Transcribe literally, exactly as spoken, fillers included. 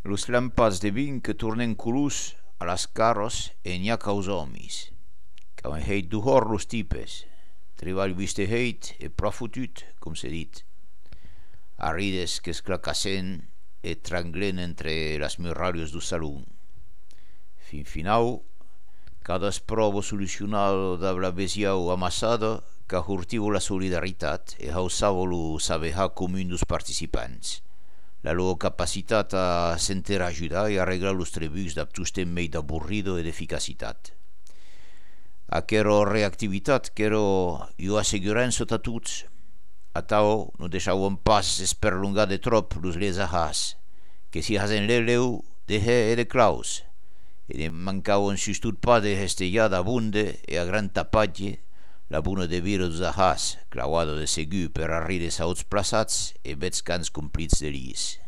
Los lampats de vin que tornen colors a las carros e n'hi ha caus homis. Quand heit duhor los tipes, treball viste heit e pro fotut, com se dit. Arrides que esclacassen e tranglen entre las muralhas do salón. Fin final, cada provo solucional d'avla besiau amassada que hurtivo la solidaritat e hausavo lo sabeha comun dos participants. La loro capacitat a s'interajudar e arreglar los trebucs d'abtustem mei d'aburrido e d'eficacitat. Aquero reactivitat qu'ero io assegurança a tuts, a tau no deixavam pas esperlongar de trop los lesahas, que si hasen leleu de he e de claus, e ne mancavan sustot pas de hestellada abunde e a gran tapatge, la buna de vira dos ahas, clauado de segur per arrides a ots plaçats e vets cans complits de lis.